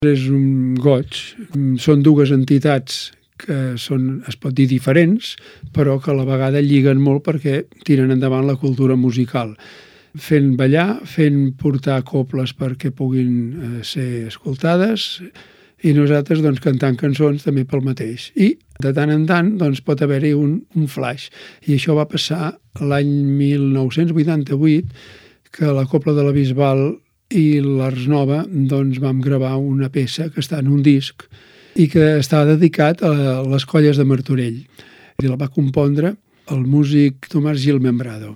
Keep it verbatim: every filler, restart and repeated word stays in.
És un goig. Són dues entitats que són, es pot dir, diferents, però que a la vegada lliguen molt perquè tiren endavant la cultura musical, fent ballar, fent portar coples perquè puguin eh, ser escoltades, i nosaltres doncs, cantant cançons també pel mateix. I de tant en tant doncs, pot haver-hi un, un flash. I això va passar l'any mil nou-cents vuitanta-vuit, que la Cobla de la Bisbal i l'Ars Nova doncs, vam gravar una peça que està en un disc i que està dedicat a les colles de Martorell. I la va compondre el músic Tomàs Gil Membrado.